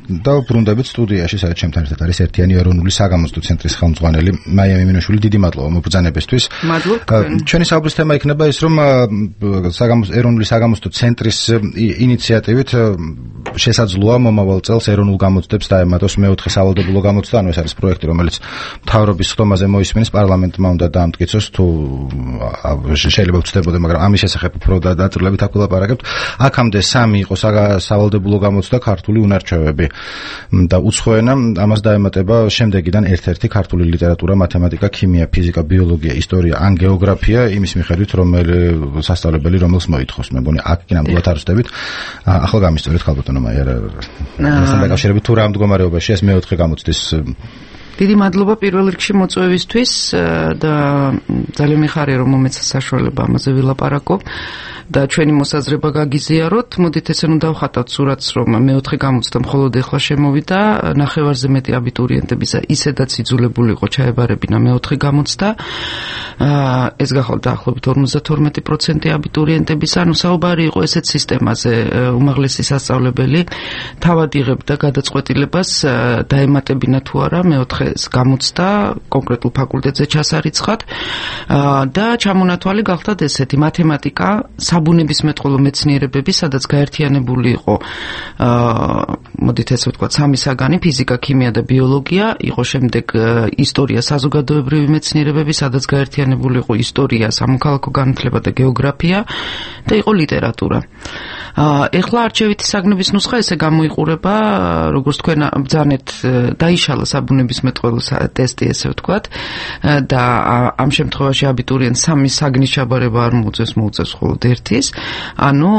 და ბრუნდებით სტუდიაში, სადაც ჩემთან ერთად არის ერთიანი ეროვნული საგამოცდო ცენტრის ხელმძღვანელი მაია მიმინოშვილი. დიდი მადლობა მობრძანებისთვის. ჩვენი საუბრის თემა იქნება ის, რომ ეროვნული საგამოცდო ცენტრის ინიციატივით შესაძლოა მომავალ წელს ეროვნულ გამოცდებს დაემატოს მეოთხე სავალდებულო გამოცდა, ანუ ეს არის პროექტი, რომელიც მთავრობის ხდომაზე მოისმენის, პარლამენტმა უნდა დაამტკიცოს, თუ შეიძლება ვწდებოდე, მაგრამ ამის შესახებ უფრო დაწვრილებით აქ ვილაპარაკებთ. აქამდე 3 იყო სავალდებულო გამოცდა, ქართული უნარჩვევები და უცხო ენა, ამას დაემატება შემდეგიდან ერთ-ერთი ქართული ლიტერატურა, მათემატიკა, ქიმია, ფიზიკა, ბიოლოგია, ისტორია ან გეოგრაფია, იმის მიხედვით რომელი სასწავლებელი რომელს მოითხოვს. მე მგონი აქ კი ნამდვილად არ ვწდებით. ახლა გამისწორეთ ხალბატონო მაია, მასთან დაკავშირებით თუ რა მდგომარეობაში ეს მეოთხე გამოცდის. დიდი მადლობა პირველ რიგში მოწვევისთვის და ძალიან მიხარია რომ მომეცა საშუალება ამაზე ვილაპარაკო და ჩვენი მოსაზრება გაგიზიაროთ. მოდით ესე ნუ დავხატავთ სურათს, რომ მეოთხე გამოცდა მხოლოდ ეხლა შემოვიდა, ნახევარზე მეტი აბიტურიენტებისა ისედაც იძულებული იყო ჩაებარებინა მეოთხე გამოცდა. ეს გახალ დაახლოებით 52% აბიტურიენტებისა, ანუ საუბარი იყო ესეთ სისტემაზე, უმაღლესი სასწავლებელი თავად იღებდა გადაწყვეტილებას დაემატებინა თუ არა მეოთხე გამოცდა კონკრეტულ ფაკულტეტზე ჩასარიცხად და ჩამონათვალი გახდათ ესეთი მათემატიკა, საბუნებისმეტყველო მეცნიერებები, სადაც გაერთიანებული იყო მოდით ესე ვთქვათ 3 საგანი, ფიზიკა, ქიმია და ბიოლოგია, იყო შემდეგ ისტორია, საზოგადოებრივი მეცნიერებები, სადაც გაერთიანებული იყო ისტორია, სამოქალაქო განათლება და გეოგრაფია და იყო ლიტერატურა. ეხლა არჩევითი საგნების ნუსხა ესე გამოიყურება, როგორც თქვენ ბრძანეთ, დაიშალა საბუნებისმეტყველო ტესტი, ესე ვთქვათ, და ამ შემთხვევაში აბიტურიენტს 3 საგნის ჩაბარება არ მოუწევს, მოუწევს მხოლოდ ერთის. ანუ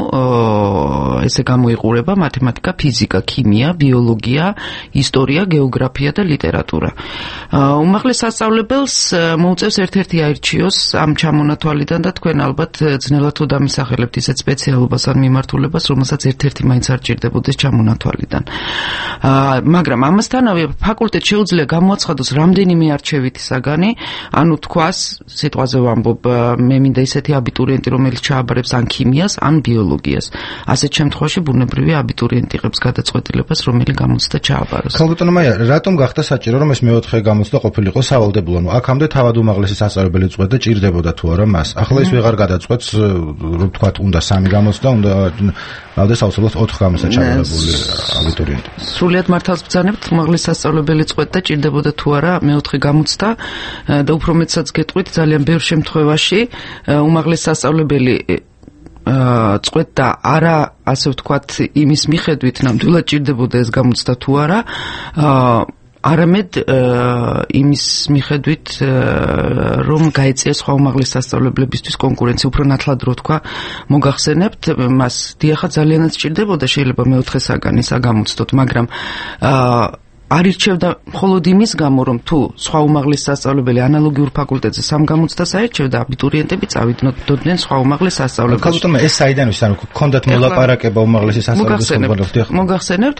ესე გამოიყურება მათემატიკა, ფიზიკა, ქიმია, ბიოლოგია, ისტორია, გეოგრაფია და ლიტერატურა. უმაღლეს სასწავლებელს მოუწევს ერთ-ერთი აირჩიოს ამ ჩამონათვალიდან და თქვენ ალბათ ძნელად თუ დამისახელებთ ისეთ სპეციალობას ან მიმართულებას, რომელსაც ერთ-ერთი მაინც არ ჭირდებოდეს ჩამონათვალიდან. მაგრამ ამასთანავე ფაკულტეტს შეუძლია გამოაცხადოს რამდენიმე არჩევითი საგანი, ანუ თქვას, სიტყვაზე ვამბობ, მე მინდა ისეთი აბიტურიენტი, რომელიც ჩააბარებს ან ქიმიას, ან ბიოლოგიას. ასეთ შემთხვევაში ბუნებრივი აბიტურიენტი იღებს გადაწყვეტილებას, რომელი გამოცდა ჩააბაროს. ხალბატონო მაია, რატომ გახდა საჭირო, რომ ეს მეოთხე გამოცდა ყოფილიყო სავალდებულო? ანუ აქამდე თავად უმაღლესი სასწავლებელი წყვეტდა, ჭირდებოდა თუ არა მას. ახლა ის ვეღარ გადაწყვეტს, რომ თქვათ, უნდა 3 გამოცდა, უნდა ავდეს აუცილებლად 4 გამოცდა ჩააბარებული აბიტურიენტი. სრულიად მართალს ბრძანებთ, უმაღლესი სასწავლებელი წყვეტდა, ჭირდებოდა თუ არა მეოთხე გამოცდა და უფრო მეტსაც გეტყვით, ძალიან ბევრ შემთხვევაში უმაღლესი სასწავლებელი წყვეტდა არა, ასე ვთქვათ, იმის მიხედვით, ნამდვილად ჭირდებოდა ეს გამოცდა თუ არა, არამედ იმის მიხედვით, რომ გაეწია სხვა უმაღლეს სასწავლებლებისთვის კონკურენცია, უფრო ნათლად რო თქვა, მოგახსენებთ, მას დიახაც ძალიანაც ჭირდებოდა, შეიძლება მეოთხე საგანი საგამოცდოთ, მაგრამ არირჩევდა მხოლოდ იმის გამო, რომ თუ სხვა უმაღლეს სასწავლებელი ანალოგიურ ფაკულტეტზე 3 გამოცდას აირჩევდა, აბიტურიენტები წავიდნენ სხვა უმაღლეს სასწავლებელში. ხალბატონო, ეს საიდან ის, ანუ გქონდათ მოლაპარაკება უმაღლესი სასწავლებლის ხელმძღვანელობთან? მოგახსენებთ,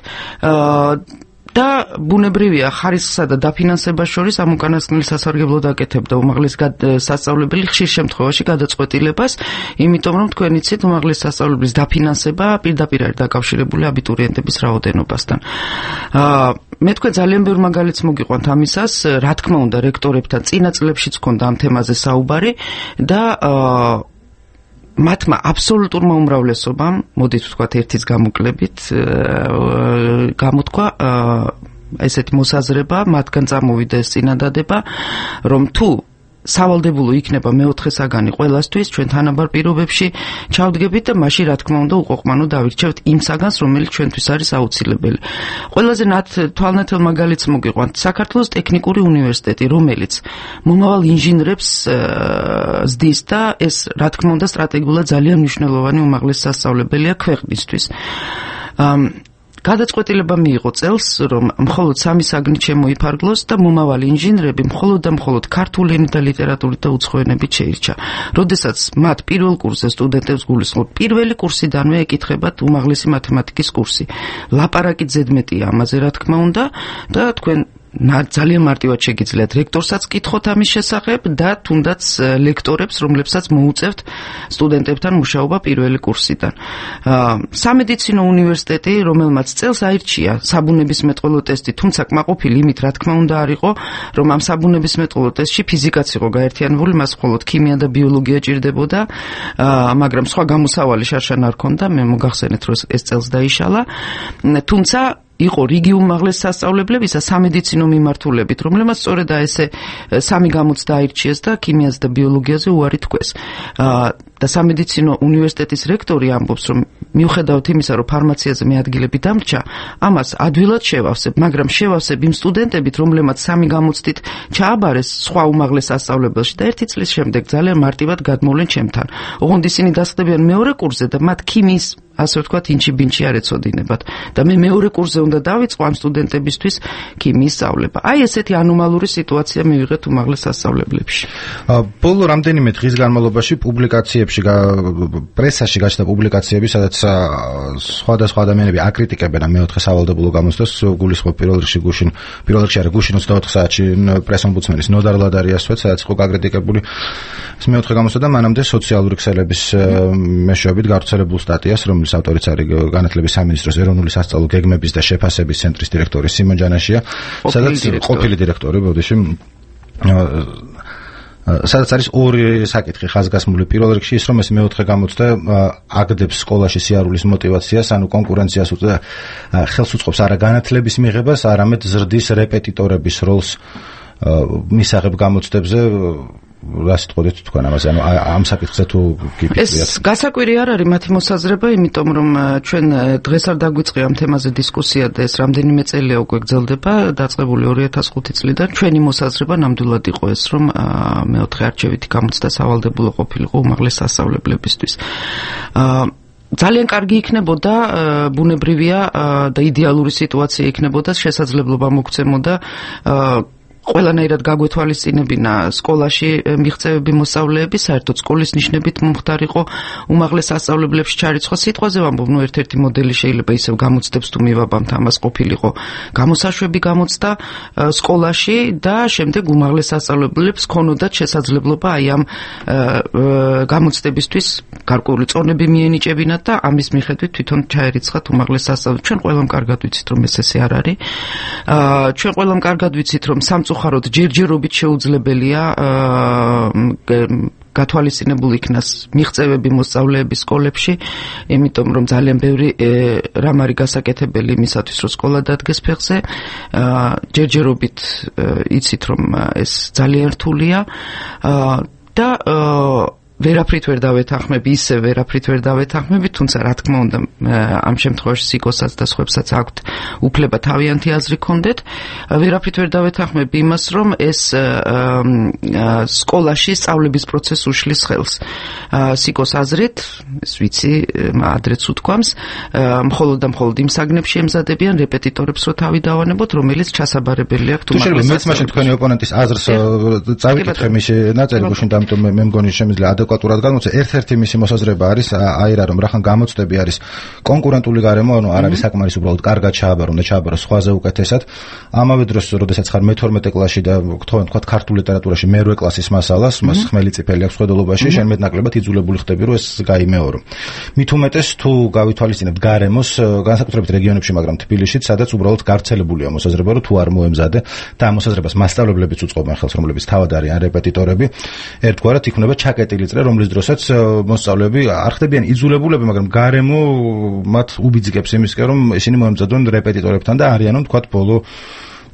და ბუნებრივია ხარისხსა და დაფინანსებას შორის ამ უკანასკნელი სასარგებლო დაკეთებდა უმაღლეს სასწავლებელი ხშირ შემთხვევაში გადაწყვეტილებას, იმიტომ რომ თქვენ იცით, უმაღლეს სასწავლებლის დაფინანსება პირდაპირ არის დაკავშირებული აბიტურიენტების რაოდენობასთან. მე თქვენ ძალიან ბევრ მაგალითს მოგიყვანთ ამისას, რა თქმა უნდა, რექტორებთან წინა წლებშიც ჰქონდა ამ თემაზე საუბარი და მათმა აბსოლუტურმა უმრავლესობამ, მოდით ვთქვათ, ერთის გამოკლებით, გამოთქვა ესეთი მოსაზრება, მათგან წამოვიდა ეს წინადადება, რომ თუ სავალდებულო იქნება მეოთხე საგანი ყველასთვის, ჩვენ თანაბარ პირობებში ჩავდგებით და მაშინ რა თქმა უნდა უყოყმანო დავირჩევთ იმ საგანს, რომელიც ჩვენთვის არის აუცილებელი. ყველაზე თვალნათელ მაგალითს მოგიყვანთ, საქართველოს ტექნიკური უნივერსიტეტი, რომელიც მომავალ ინჟინრებს ზდის და ეს რა თქმა უნდა სტრატეგიულად ძალიან მნიშვნელოვანი უმაღლესი სასწავლებელია ქვეყნისთვის. გადაწყვეტილება მიიღო წელს, რომ მხოლოდ 3 საგნით შემოიფარგლოს და მომავალი ინჟინრები მხოლოდ და მხოლოდ ქართული ენით და ლიტერატურით და უცხო ენებით შეირჩა. როდესაც მათ პირველ კურსზე სტუდენტებს გულისხმობ, პირველი კურსიდანვე ეკითხებათ უმაღლესი მათემატიკის კურსი. ლაპარაკით ზედმეტია ამაზე, რა თქმა უნდა, და თქვენ ძალიან მარტივად შეგიძლიათ რექტორსაც კითხოთ ამის შესახებ და თუნდაც ლექტორებს, რომლებსაც მოუწევთ სტუდენტებთან მუშაობა პირველი კურსიდან. სამედიცინო უნივერსიტეტი, რომელმაც წელს აირჩია საბუნებისმეტყველო ტესტი, თუმცა კმაყოფილი იმით, რა თქმა უნდა, არ იყო, რომ ამ საბუნებისმეტყველო ტესტში ფიზიკაც იყო გაერთიანებული, მას მხოლოდ ქიმია და ბიოლოგია ჭირდებოდა, მაგრამ სხვა გამოსავალი შარშან არ ქონდა, მე მოგახსენეთ, რომ ეს წელს დაიშალა. თუმცა იყო რიგი უმაღლეს სასწავლებლებისა სამედიცინო მიმართულებით, რომლებმაც სწორედ ესე სამი გამოც დაირჩიეს და ქიმიაზე და ბიოლოგიაზე უარი თქვეს. და სამედიცინო უნივერსიტეტის რექტორი ამბობს, რომ მიუხედავად იმისა, რომ ფარმაციაზე მე ადგილები დამრჩა, ამას ადვილად შევავსებ, მაგრამ შევავსებ იმ სტუდენტებით, რომლებმაც სამი გამოცდით ჩააბარეს სხვა უმაღლეს სასწავლებელში და ერთი წლის შემდეგ ძალიან მარტივად გადმოვლენ ჩემთან. ოღონდ ისინი დასხდებიან მეორე კურსზე და მათ ქიმიის ასე ვთქვათ, ინჩი-ბინჩი არ ეცოდინებათ და მე მეორე კურსზე უნდა დავიწყო ამ სტუდენტებისთვის ქიმიის სწავლება. აი ესეთი ანომალური სიტუაცია მივიღეთ უმაღლეს სასწავლებლებში. ბოლო რამდენიმე დღის განმავლობაში პუბლიკაციებში, პრესაში გაჩნდა პუბლიკაციები, სადაც სხვადასხვა ადამიანები აკრიტიკებენ ამ მეოთხე სავალდებულო გამოცდას, გულისხმობ პირველ რიგში არა გუშინ 24 საათში პრესომბუდსმენის ნოდარ ლადარიასვეთ, სადაც იყო გაკრიტიკებული ეს მეოთხე გამოცდა და მანამდე სოციალური ქსელების მეშვეობით გავრცელებულ სტატიას, რომლის ავტორიც არის განათლების სამინისტროს ეროვნული სასწავლო გეგმების და შეფასების ცენტრის დირექტორი სიმონ ჯანაშია, სადაც ყოფილი დირექტორი ბოდიში სადაც არის ორი საკითხი ხაზგასმული. პირველ რიგში ის, რომ ეს მეოთხე გამოცდა აგდებს სკოლაში სიარულის მოტივაციას, ანუ კონკურენციას და ხელს უწყობს არა განათლების მიღებას, არამედ ზრდის რეპეტიტორების როლს მისაღებ გამოცდებზე. რა სიტყვით თქვენ ამაზე, ანუ ამ საკითხზე თუ გიფიქრებთ? ეს გასაკვირი არ არის მათი მოსაზრება, იმიტომ რომ ჩვენ დღეს არ დაგვიწყია ამ თემაზე დისკუსია და ეს რამდენიმე წელია უკვე გრძელდება, დაწყებული 2005 წლიდან. ჩვენი მოსაზრება ნამდვილად იყო ეს, რომ მეოთხე არჩევითი გამოცდა სავალდებულო ყოფილიყო უმაღლეს სასწავლებლებისთვის. ძალიან კარგი იქნებოდა, ბუნებრივია და იდეალური სიტუაცია იქნებოდა, შესაძლებლობა მოგცემოდა ყველანაირად გაგვეთვალისწინებინა სკოლაში მიღწევები მოსწავლეები, საერთოდ სკოლის ნიშნებით მომხდარიყო უმაღლეს სასწავლებლებში ჩარიცხვა. სიტყვაზე ვამბობ, ერთ-ერთი მოდელი შეიძლება ისევ გამოცდებს თუ მივაბამთ, ამას ყოფილიყო გამოსაშვები გამოცდა სკოლაში და შემდეგ უმაღლეს სასწავლებლებს ქონოდათ შესაძლებლობა აი ამ გამოცდებისთვის გარკვეული წონები მიენიჭებინათ და ამის მიხედვით თვითონ ჩაერიცხათ უმაღლეს სასწავლებლებში. ჩვენ ყველამ კარგად ვიცით, რომ ესე არ არის. ჩვენ ყველამ კარგად ვიცით, რომ სამწუხაროდ ჯერჯერობით შეუძლებელია გათვალისწინებულ იქნას მიღწევები მოსწავლეების სკოლებში, იმიტომ რომ ძალიან ბევრი რამ არის გასაკეთებელი იმისათვის, რომ სკოლა დადგეს ფეხზე. ჯერჯერობით იცით, რომ ეს ძალიან რთულია და ვერაფრით ვერ დავეთანხმები, ისე ვერაფრით ვერ დავეთანხმები, თუმცა რა თქმა უნდა ამ შემთხვევაში სიკოსაც და სხვებსაც აქვთ უფლება თავიანთი აზრი ქონდეთ. ვერაფრით ვერ დავეთანხმები იმას, რომ ეს სკოლაში სწავლების პროცესს უშლის ხელს. სიკოს აზრით, ეს ვიცი, ადრეც უთქვამს, მხოლოდ და მხოლოდ იმ საგნებში ემზადებიან რეპეტიტორებს, რომ თავი დავანებოთ, რომელიც ჩასაბარებელი აქვს უმაღლეს. მეც მაშინ თქვენი ოპონენტის აზრს წავიკითხე მისი ნაწილი გუშინ და ამიტომ მე მგონი შემიძლია ადეკვატურად გამოცე. ერთ-ერთი მისი მოსაზრება არის აი რა, რომ რახან გამოცდები არის კონკურენტული გარემო, ანუ არ არის საკმარის უბრალოდ კარგად ჩააბარო, უნდა ჩააბარო სხვაზე უკეთესად. ამავე დროს, როდესაც ხარ მე-12 კლასში და თქვა ქართულ ლიტერატურაში მე-8 კლასის მასალას, მას ხმელი წიფელი აქვს ხედელობაში, შენ მეტნაკლებად იძულებული ხდები, რომ ეს გაიმეორო. მით უმეტეს თუ გავითვალისწინებთ გარემოს, განსაკუთრებით რეგიონებში, მაგრამ თბილისშიც, სადაც უბრალოდ გავრცელებულია მოსაზრება, რომ თუ არ მოემზადე და ამ მოსაზრებას მასწავლებლებიც უწყობენ ხელს, რომლებიც თავად არიან რეპეტიტორები, ერთგვარად იქნება ჩაკეტილი წრე, რომლის დროსაც მოსწავლეები არ ხდებიან იძულებულები, მაგრამ გარემო მათ უბიძგებს იმისკენ, რომ ისინი მოემზადონ რეპეტიტორებთან და არიანო თქვათ ბოლო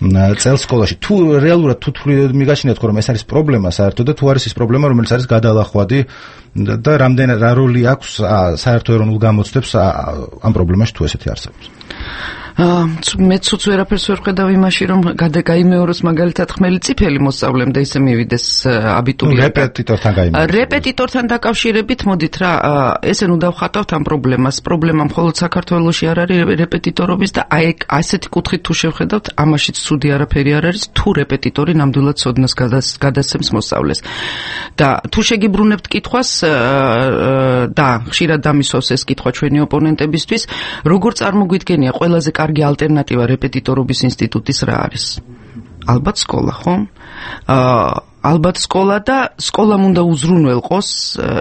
წელს სკოლაში. თუ რეალურად თუ მიგაჩნიათ, რომ ეს არის პრობლემა საერთოდ და თუ არის ის პრობლემა, რომელიც არის გადალახვადი და რამდენი რა როლი აქვს საერთო ეროვნულ გამოცდებს ამ პრობლემაში თუ ესეთი არსებობს. მე ცუც ვერაფერს ვერ ხედავ იმაში, რომ გაიმეოროს მაგალითად ხმელი წიფელი მოსწავლემ და ისე მივიდეს აბიტურიენტი. რეპეტიტორთან დაკავშირებით მოდით რა, ესე ნუ დავხატავთ ამ პრობლემას. პრობლემა მხოლოდ საქართველოში არ არის რეპეტიტორობის და აი ასეთი კუთხით თუ შევხედავთ, ამაშიც ცუდი არაფერი არ არის, თუ რეპეტიტორი ნამდვილად ცოდნას გადასცემს მოსწავლეს. და თუ შეგიბრუნებთ კითხვას და ხშირად დამისვავს ეს კითხვა ჩვენი ოპონენტებისთვის, როგორ წარმოგვიდგენია ყველაზე კარგი ალტერნატივა რეპეტიტორობის ინსტიტუტის რა არის? ალბათ სკოლა, ხო? ალბათ სკოლა და სკოლამ უნდა უზრუნველყოს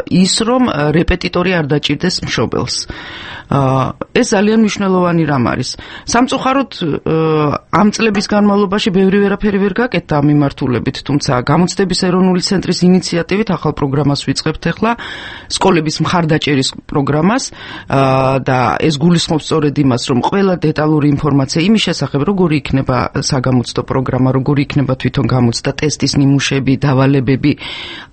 ის, რომ რეპეტიტორი არ დაჭირდეს მშობელს. ეს ძალიან მნიშვნელოვანი რამ არის. სამწუხაროდ ამ წლების განმავლობაში ბევრი ვერაფერი ვერ გაკეთდა ამ მიმართულებით, თუმცა გამოცდების ეროვნული ცენტრის ინიციატივით ახალ პროგრამას ვიწყებთ ახლა, სკოლების მხარდაჭერის პროგრამას და ეს გულისხმობს სწორედ იმას, რომ ყველა დეტალური ინფორმაცია იმის შესახებ, როგორი იქნება საგამოცდო პროგრამა, როგორი იქნება თვითონ გამოცდა, ტესტის ნიმუშები, დავალებები,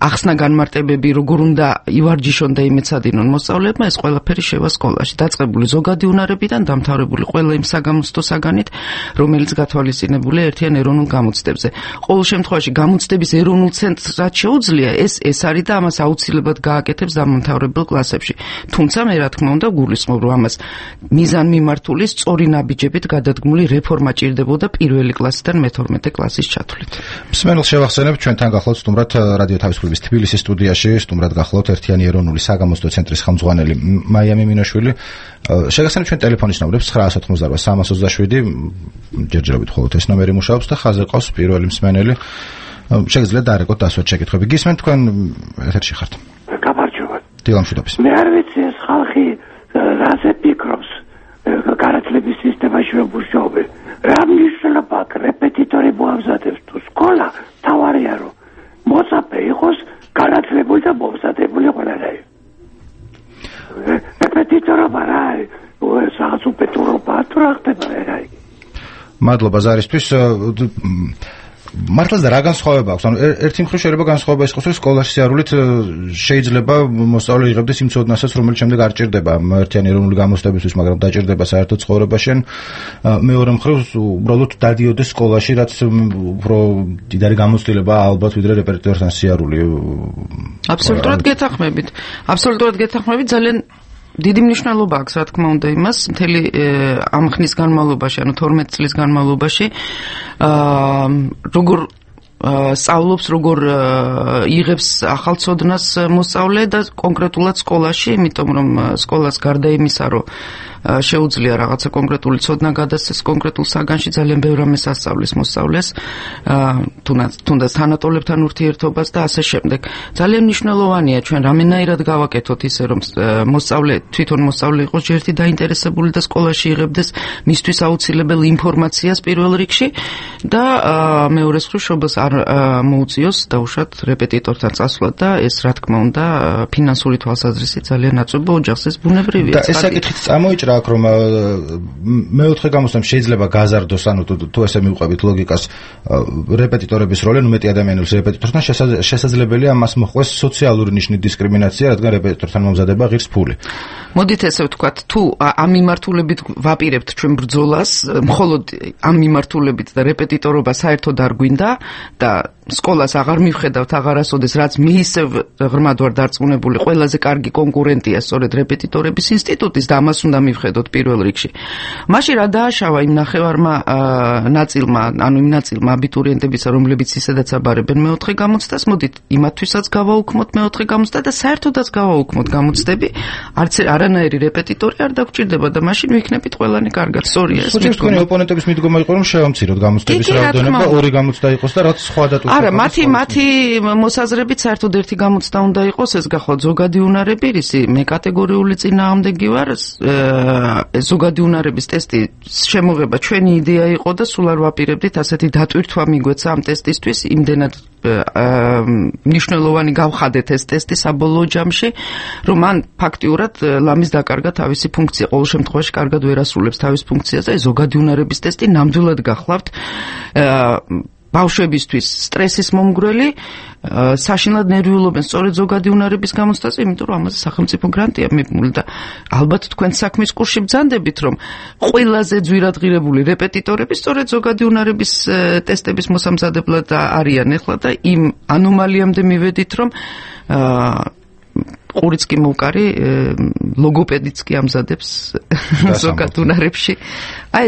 ახსნა განმარტებები, როგორ უნდა ივარჯიშონ და იმეცადინონ მოსწავლეებმა, ეს ყველაფერი შევა სკოლაში. დაწყებული ზოგადი უნარებიდან დამთავრებული ყველა იმ საგამოცდო საგანით, რომელიც გათვალისწინებულია ერთიან ეროვნულ გამოცდებზე. ყოველ შემთხვევაში გამოცდების ეროვნულ ცენტრს რაც შეუძლია, ეს არის და ამას აუცილებლად გააკეთებს დამამთავრებელ კლასებში. თუმცა მე რა თქმა უნდა გულისხმობ, რომ ამას მიზანმიმართული სწორი ნაბიჯებით გადადგმული რეფორმა ჭირდებოდა პირველი კლასიდან მე-12 კლასის ჩათვლით. მსმენელს შევახსენებ, ჩვენთან გახლავთ სტუმრად რადიო თავისუფლების თბილისის სტუდიაში, სტუმრად გახლავთ ერთიანი ეროვნული საგამოცდო ცენტრის ხელმძღვანელი მაია მიმინოშვილი. შეგახსენებ ჩვენ ტელეფონის ნომრებს 988 327 ჯერჯერობით მხოლოდ ეს ნომერი მუშაობს და ხაზზე ყავს პირველი მსმენელი. შეგიძლიათ დაარეკოთ დასვათ შეკითხვები. გისმენთ თქვენ ეთერში ხართ. გამარჯობა. დილამშვიდობის. მე არ ვიცი ეს ხალხი რაზე ფიქრობს განათლების სისტემაში რომ მუშაობენ. რა მნიშვნელობა აქვს რეპეტიტორი მოამზადებს თუ სკოლა თავარია რომ მოწაფე იყოს განათლებული და მომზადებული ყველანაირი. რეპეტიტორობა რა არის? რაღაც უპეტურობა თუ რა ხდება რა იგი? მადლობა ზარისთვის. მართლაც და რა განსხვავება აქვს? ანუ ერთი მხრივ შეიძლება განსხვავება ის იყოს, რომ სკოლაში სიარულით შეიძლება მოსწავლე იღებდეს იმ ცოდნასაც, რომელიც შემდეგ არ ჭირდება ერთიანი ეროვნული გამოცდებისთვის, მაგრამ დაჭირდება საერთოდ ცხოვრებაში. მეორე მხრივ უბრალოდ დადიოდეს სკოლაში, რაც უფრო დიდარი გამოცდილება ალბათ ვიდრე რეპეტიტორთან სიარული. აბსოლუტურად გეთანხმებით, ძალიან დიდი მნიშვნელობა აქვს, რა თქმა უნდა, იმას მთელი ამ ხნის განმავლობაში, ანუ 12 წლის განმავლობაში, როგორ სწავლობს, როგორ იღებს ახალ ცოდნას მოსწავლე და კონკრეტულად სკოლაში, იმიტომ რომ სკოლას გარდა იმისა, რომ შეუძლია რაღაცა კონკრეტული ცოდნა გადასცეს კონკრეტულ საგანში, ძალიან ბევრ რამეს ასწავლის მოსწავლეს, თუნდაც თანატოლებთან ურთიერთობას და ასე შემდეგ. ძალიან მნიშვნელოვანია ჩვენ რამენაირად გავაკეთოთ ისე, რომ თვითონ მოსწავლე იყოს ჯერთი დაინტერესებული და სკოლაში იღებდეს მისთვის აუცილებელ ინფორმაციას პირველ რიგში და მეორე მხრივ შობელს არ მოუწიოს დაუშვათ რეპეტიტორთან წასვლა და ეს რა თქმა უნდა ფინანსური თვალსაზრისით ძალიან აწუხებო ოჯახს ეს ბუნებრივია. და ეს საკითხიც წამოიჭრა აქ რომ მეოთხე გამოცდამ შეიძლება გაზარდოს, ანუ თუ ესე მივყვებით ლოგიკას, რეპეტიტორების როლი, ნუ მეტი ადამიანის რეპეტიტორთან შესაძლებელია ამას მოხვეს სოციალური ნიშნის დისკრიმინაცია, რადგან რეპეტიტორთან მომზადება ღირს ფული. მოდით ესე ვთქვათ, თუ ამ მიმართულებით ვაპირებთ ჩვენ ბრძოლას, მხოლოდ ამ მიმართულებით და რეპეტიტორობა საერთოდ არ გვინდა და სკოლას აღარ მივხედავთ აღარასოდეს, რაც მიისევ ღრმად ვარ დარწმუნებული, ყველაზე კარგი კონკურენტია სწორედ რეპეტიტორების ინსტიტუტის და ამას უნდა მივხედოთ პირველ რიგში. მაშინ რა დააშავა იმ ნახევარმა ნაწილმა, ანუ იმ ნაწილმა აბიტურიენტებისა, რომლებიც ისედაც აბარებენ მეოთხე გამოცდას, მოდით იმათთვისაც გავაუქმოთ მეოთხე გამოცდა და საერთოდაც გავაუქმოთ გამოცდები, არანაირი რეპეტიტორი არ დაგჭირდება და მაშინ ვიქნებით ყველანი კარგად. სწორია ეს. ხო, თქვენი ოპონენტების მიდგომა იყო, რომ შევამციროთ გამოცდების რაოდენობა, ორი გამოცდა იყოს და რაც სხვა დატვირთვა. არა, მათი მოსაზრებით საერთოდ ერთი გამოცდა უნდა იყოს, ეს გახლავთ ზოგადი უნარები, რისი მე კატეგორიული წინააღმდეგი ვარ. ზოგადი უნარების ტესტი შემოღება ჩვენი იდეა იყო და სულ არ ვაპირებდით ასეთი დატვირთვა მიგვეცა ამ ტესტისთვის, იმდენად მნიშვნელოვანი გავხადეთ ეს ტესტი საბოლოო ჯამში, რომ მან ფაქტიურად ლამის დაკარგა თავისი ფუნქცია, ყოველ შემთხვევაში კარგად ვერ ასრულებს თავის ფუნქციას და ზოგადი უნარების ტესტი ნამდვილად გახლავთ ბავშვებისთვის სტრესის მომგვრელი, საშინლად ნერვიულობენ სწორედ ზოგადი უნარების გამოცდაზე, იმიტომ რომ ამაზე სახელმწიფო გრანტია მიბმული და ალბათ თქვენ საქმის კურსში ბრძანდებით, რომ ყველაზე ძვირადღირებული რეპეტიტორები სწორედ ზოგადი უნარების ტესტების მოსამზადებლად არიან ახლა და იმ ანომალიამდე მივედით, რომ ყურიც კი მოვკარი, ლოგოპედიც კი ამზადებს ზოგად უნარებში. აი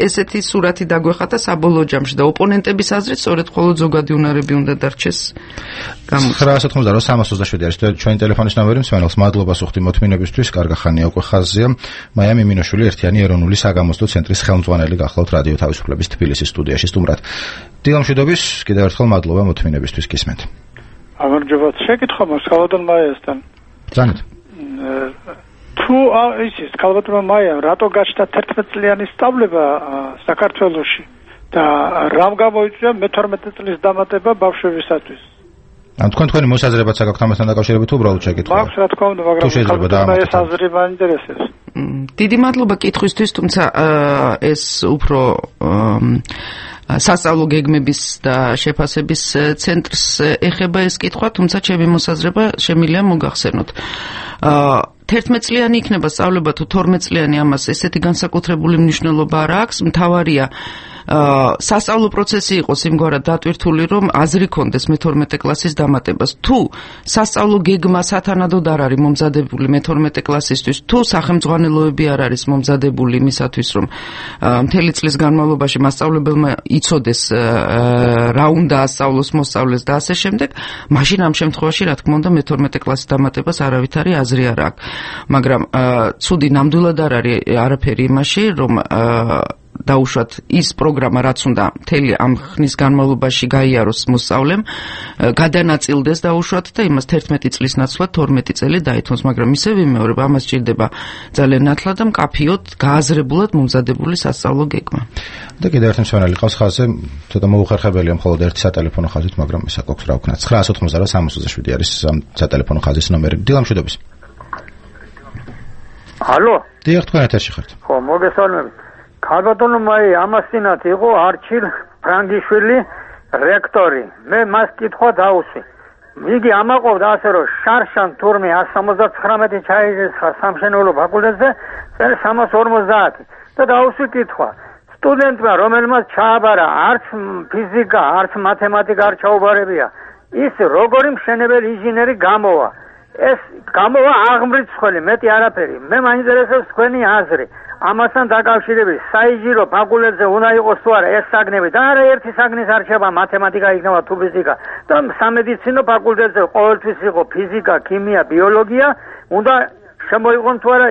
ესეთი სურათი დაგვეხატა საბოლოო ჯამში და ოპონენტების აზრით სწორედ მხოლოდ ზოგადი უნარები უნდა დარჩეს. 998-327 არის ჩვენი ტელეფონის ნომერი, მსმენელს მადლობას უხდი მოთმინებისთვის, კარგა ხანია უკვე ხაზზეა. მაია მიმინოშვილი ერთიანი ეროვნული საგამოსტო ცენტრის ხელმძღვანელი გახლავთ რადიო თავისუფლების თბილისის სტუდიაში სტუმრად. დილამშვიდობის, კიდევ ერთხელ მადლობა მოთმინებისთვის, გისმენთ. გამარჯობა, შეკითხვა მაქვს ქალბატონ მაიასთან. ძანეთ. თუ ისიც ქალბატონმა მაიამ რატო გაჩნდა 11 წლიანი სწავლება საქართველოში და რამ გამოიწვია მე-12 წლის დამატება ბავშვებისათვის? ან თქვენი მოსაზრებაც აქვს ამასთან დაკავშირებით უბრალოდ შეკითხვა? მაქვს რა თქმა უნდა, მაგრამ ეს აზრი მაინტერესებს. დიდი მადლობა კითხვისთვის, თუმცა ეს უფრო სასწავლო გეგმების და შეფასების ცენტრს ეხება ეს კითხვა, თუმცა ჩემი მოსაზრება შემიძლია მოგახსენოთ. 11 წლიანი იქნება სწავლება თუ 12 წლიანი, ამას ესეთი განსაკუთრებული მნიშვნელობა არ აქვს, მთავარია სასწავლო პროცესი იყოს იმგვარად დატვირთული, რომ აზრი კონდეს მე-12 კლასის დამატებას. თუ სასწავლო გეგმა სათანადოდ არ არის მომზადებული მე-12 კლასისთვის, თუ სახელმძღვანელოები არ არის მომზადებული იმისათვის, რომ მთელი წლის განმავლობაში მასწავლებელმა იცოდეს რა უნდა ასწავლოს, მოსწავლეს და ასე შემდეგ, მაშინ ამ შემთხვევაში, რა თქმა უნდა, მე-12 კლასის დამატებას არავითარი აზრი არ აქვს. მაგრამ ცუდი ნამდვილად არ არის არაფერი იმაში, რომ დაუშვათ ის პროგრამა, რაც უნდა მთელი ამ ხნის განმავლობაში გაიაროს მოსწავლემ, გადანაწილდეს დაუშვათ და იმას 11 წლის ნაცვლად 12 წელი დაითმოს, მაგრამ ისე ვიმეორებ, ამას სჭირდება ძალიან ნათლად და მკაფიოდ გააზრებულად მომზადებული სასწავლო გეგმა. და კიდევ ერთი მსმენელი ყავს ხაზზე, ცოტა მოუხერხებელია მხოლოდ ერთი სატელეფონო ხაზით, მაგრამ ისე გვაქვს რა ვქნათ. 988-327 არის სატელეფონო ხაზის ნომერი. დილამშვიდობის. ალო? დიახ, თქვენ ეთერში ხართ. ხო, მოგესალმებით. ქალბატონო მაი ამასინათ იყო არჩილ ფრანგიშვილი რექტორი. მე მას კითხვა დავუსვი. იგი ამაყობდა ასე რომ შარშან თურმე 179 ჩაირიცხა სამშენებლო ფაკულტეტზე, წელს 350 და დავუსვი კითხვა. სტუდენტმა, რომელმაც ჩააბარა არც ფიზიკა, არც მათემატიკა არ ჩაუბარებია, ის როგორი მშენებელი ინჟინერი გამოვა? ეს გამოვა აღმრიცხველი, მეტი არაფერი. მე მაინტერესებს თქვენი აზრი. ამასთან დაკავშირებით საინჟინრო ფაკულტეტზე უნდა იყოს თუ არა ეს საგნები და არა ერთი საგნის არჩევა, მათემატიკა იქნება თუ ფიზიკა და სამედიცინო ფაკულტეტზე ყოველთვის იყო ფიზიკა, ქიმია, ბიოლოგია, უნდა შემოიღონ თუ არა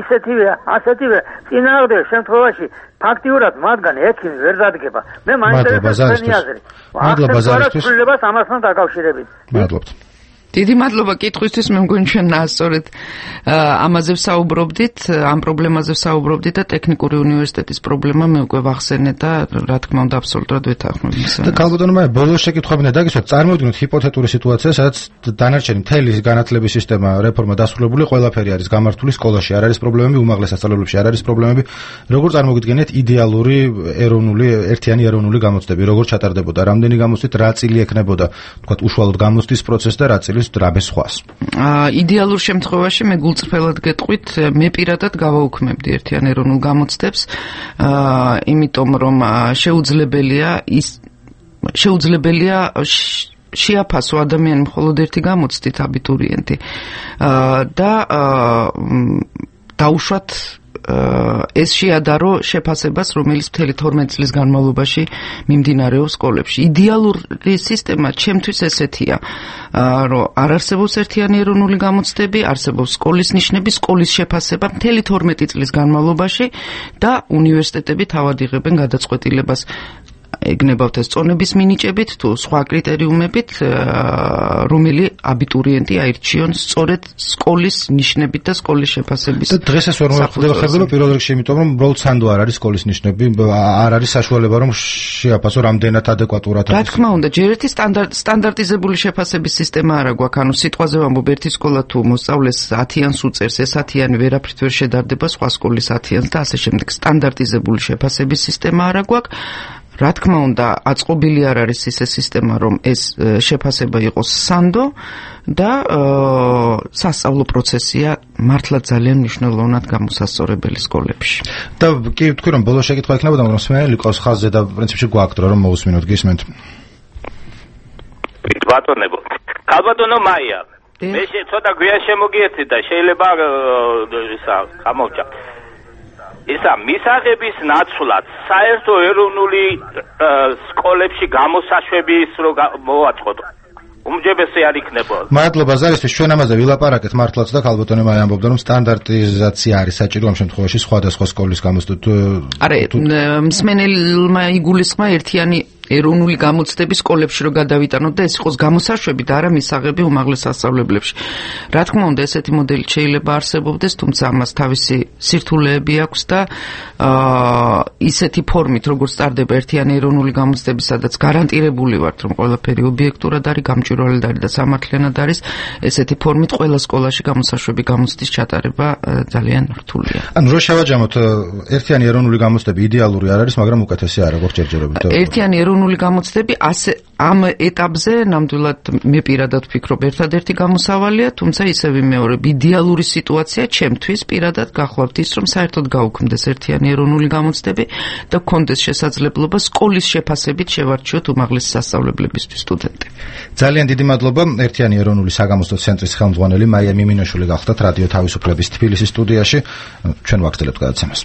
ისეთივე, ასეთივე წინააღმდეგ შემთხვევაში ფაქტიურად მათგან ექიმი ვერ დადგება. მე მაინტერესებს თქვენი აზრი. მადლობა ზარისთვის. ამასთან დაკავშირებით. მადლობთ. დიდი მადლობა კითხვისთვის, მე მგონი ჩვენ სწორედ ამაზე ვსაუბრობდით, ამ პრობლემაზე ვსაუბრობდით და ტექნიკური უნივერსიტეტის პრობლემა მე უკვე ვახსენე და რა თქმა უნდა აბსოლუტურად ვეთანხმებ იმას. და ქალბატონო მაია, ბოლოს შეკითხვებინა დაგისვათ, წარმოვიდგინოთ ჰიპოთეტური სიტუაცია, სადაც დანარჩენი მთელი განათლების სისტემა რეფორმა დასრულებული, ყველაფერი არის გამართული, სკოლაში არ არის პრობლემები, უმაღლეს სასწავლებლებში არ არის პრობლემები. როგორ წარმოგიდგენთ იდეალური ეროვნული ერთიანი ეროვნული გამოცდები, როგორ ჩატარდებოდა, რამდენი გამოცდით, რა წილი ექნებოდა, თქვათ უშუალოდ გამოცდის პროცესს და რა წილი დრაბეს ხვას. იდეალურ შემთხვევაში მე გულწრფელად გეტყვით, მე პირადად გავაუქმებდი ერთიან ეროვნულ გამოცდებს, იმიტომ რომ შეუძლებელია შეაფასო ადამიანი მხოლოდ ერთი გამოცდით აბიტურიენტი და დაუშვათ ეს შეადარო შეფასებას, რომელიც მთელი 12 წლის განმავლობაში მიმდინარეობს სკოლებში. იდეალური სისტემა ჩემთვის ესეთია, რომ არ არსებობს ერთიანი ეროვნული გამოცდები, არსებობს სკოლის ნიშნები, სკოლის შეფასება მთელი 12 წლის განმავლობაში და უნივერსიტეტები თავად იღებენ გადაწყვეტილებას ეგნებავთ ეს წონების მინიჭებით თუ სხვა კრიტერიუმებით, რომელი აბიტურიენტი აირჩიონ სწორედ სკოლის ნიშნებით და სკოლის შეფასების. და დღეს ეს ვერ მოხდება პირველ რიგში, იმიტომ რომ უბრალოდ სანდო არ არის სკოლის ნიშნები, არ არის საშუალება რომ შეაფასო რამდენად ადეკვატურად არის. რა თქმა უნდა, ჯერ ერთი სტანდარტიზებული შეფასების სისტემა არა გვაქვს, ანუ სიტყვაზე ვამბობ, ერთი სკოლა თუ მოსწავლეს 10-იანს უწერს, ეს 10-იანი ვერაფრით ვერ შედარდება სხვა სკოლის 10-იანს და ასე შემდეგ. სტანდარტიზებული შეფასების სისტემა არა გვაქვს. რა თქმა უნდა, აწყობილი არ არის ისე სისტემა, რომ ეს შეფასება იყოს სანდო და სასწავლო პროცესია მართლა ძალიან მნიშვნელოვნად გამოსასწორებელი სკოლებში. და კი ვთქვი, რომ ბოლოს შეკითხვა იქნებოდა, მაგრამ მსმენელი ყავს ხაზზე და პრინციპში გვაქვს რომ მოусმინოთ, გისმენთ. ბატონებო. ქალბატონო მაია, მე ცოტა გვიან შემოგიერთი და შეიძლება ისა გამოვჭა. ისა მისაღების ნაცვლად საერთო ეროვნული სკოლებში გამოსაშვების რო მოვაწყოთ. უმჯობესი არ იქნება. მადლობა ზარისთვის, ჩვენ ამაზე ვილაპარაკეთ მართლაც და ქალბატონი მაი ამბობდა რომ სტანდარტიზაცია არის საჭირო ამ შემთხვევაში სხვადასხვა სკოლის გამოსდოთ. არა, მსმენელმა იგულისხმა ერთიანი ეროვნული გამოცდები სკოლებში რო გადავიტანოთ და ეს იყოს გამოსაშვები და არა მისაღები უმაღლეს სასწავლებლებში. რა თქმა უნდა, ესეთი მოდელი შეიძლება არსებობდეს, თუმცა ამას თავისი სირთულეები აქვს და ისეთი ფორმით, როგორც ტარდება ერთიანი ეროვნული გამოცდები, სადაც გარანტირებული ვართ, რომ ყველაფერი ობიექტურად არის, გამჭვირვალედ არის და სამართლიანად არის, ესეთი ფორმით ყველა სკოლაში გამოსაშვები გამოცდის ჩატარება ძალიან რთულია. ანუ რო შევაჯამოთ, ერთიანი ეროვნული გამოცდები იდეალური არ არის, მაგრამ უკეთესი არა, როგორც ჯერჯერობით. ერთიანი ეროვნული გამოცდები ასე ამ ეტაპზე ნამდვილად მე პირადად ვფიქრობ ერთადერთი გამოსავალია, თუმცა ისევ ვიმეორებ, იდეალური სიტუაცია ჩემთვის პირადად გახლავთ ის, რომ საერთოდ გაუქმდეს ერთიანი ეროვნული გამოცდები და გქონდეს შესაძლებლობა სკოლის შეფასებით შევარჩიოთ უმაღლესი სასწავლებლებისთვის სტუდენტები. ძალიან დიდი მადლობა ერთიანი ეროვნული საგამოცდო ცენტრის ხელმძღვანელი მაია მიმინოშვილი გახლდათ რადიო თავისუფლების თბილისის სტუდიაში. ჩვენ ვაგრძელებთ გადაცემას.